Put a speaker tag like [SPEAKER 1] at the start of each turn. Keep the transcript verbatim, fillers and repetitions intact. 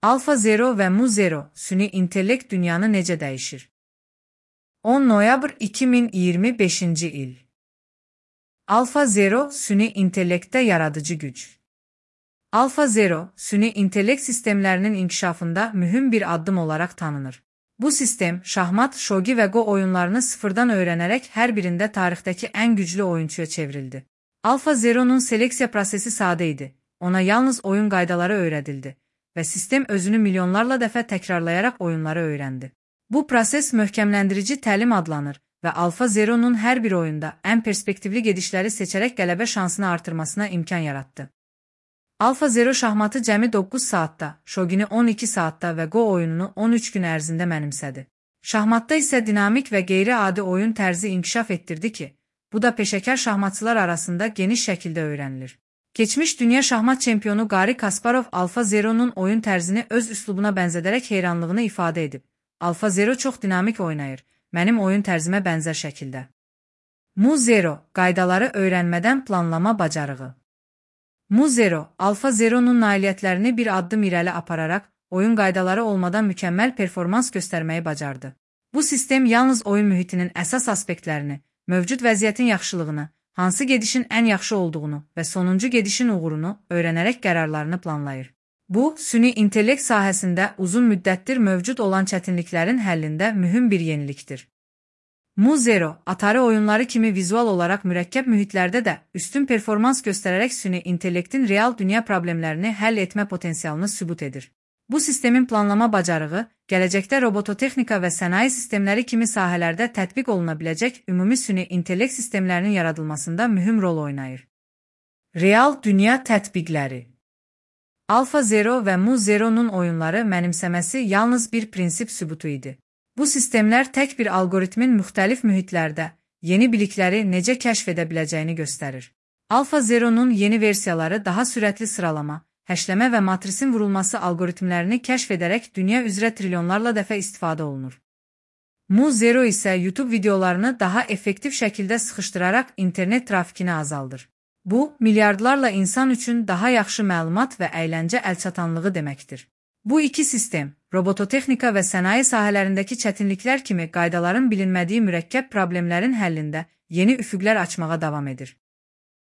[SPEAKER 1] AlphaZero və MuZero süni intellekt dünyanı necə dəyişir? on noyabr iki min iyirmi beşinci il. AlphaZero süni intellektdə yaradıcı güc. AlphaZero süni intellekt sistemlərinin inkişafında mühüm bir addım olaraq tanınır. Bu sistem, şahmat, shogi və go oyunlarını sıfırdan öyrənərək hər birində tarixdəki ən güclü oyunçuya çevrildi. AlphaZero'nun seleksiya prosesi sadə idi. Ona yalnız oyun qaydaları öyrədildi və sistem özünü milyonlarla dəfə təkrarlayaraq oyunları öyrəndi. Bu proses möhkəmləndirici təlim adlanır və AlphaZero'nun hər bir oyunda ən perspektivli gedişləri seçərək qələbə şansını artırmasına imkan yarattı. AlphaZero şahmatı cəmi doqquz saatda, shogini on iki saatda və go oyununu on üç gün ərzində mənimsədi. Şahmatda isə dinamik və qeyri-adi oyun tərzi inkişaf etdirdi ki, bu da peşəkar şahmatçılar arasında geniş şəkildə öyrənilir. Keçmiş dünya şahmat çempionu Garri Kasparov AlphaZero'nun oyun tərzini öz üslubuna bənzədərək heyranlığını ifadə edib. AlphaZero çox dinamik oynayır, mənim oyun tərzimə bənzər şəkildə. MuZero, qaydaları öyrənmədən planlama bacarığı. MuZero, AlphaZero'nun nailiyyətlərini bir addım irəli apararaq, oyun qaydaları olmadan mükəmməl performans göstərməyi bacardı. Bu sistem yalnız oyun mühitinin əsas aspektlərini, mövcud vəziyyətin yaxşılığını, hansı gedişin ən yaxşı olduğunu və sonuncu gedişin uğurunu öyrənərək qərarlarını planlayır. Bu, süni intellekt sahəsində uzun müddətdir mövcud olan çətinliklərin həllində mühüm bir yenilikdir. MuZero, Atari oyunları kimi vizual olaraq mürəkkəb mühitlərdə də üstün performans göstərərək süni intellektin real dünya problemlərini həll etmə potensialını sübut edir. Bu sistemin planlama bacarığı, gələcəkdə robototexnika və sənaye sistemləri kimi sahələrdə tətbiq oluna biləcək ümumi süni intellekt sistemlərinin yaradılmasında mühüm rol oynayır. Real dünya tətbiqləri. AlphaZero və MuZero'nun oyunları mənimsəməsi yalnız bir prinsip sübutu idi. Bu sistemlər tək bir algoritmin müxtəlif mühitlərdə yeni bilikləri necə kəşf edə biləcəyini göstərir. AlphaZero'nun yeni versiyaları daha sürətli sıralama, həşləmə və matrisin vurulması algoritmlərini kəşf edərək dünya üzrə trilyonlarla dəfə istifadə olunur. MuZero isə YouTube videolarını daha effektiv şəkildə sıxışdıraraq internet trafikini azaldır. Bu, milyardlarla insan üçün daha yaxşı məlumat və əyləncə əlçatanlığı deməkdir. Bu iki sistem, robototexnika və sənaye sahələrindəki çətinliklər kimi qaydaların bilinmədiyi mürəkkəb problemlərin həllində yeni üfüqlər açmağa davam edir.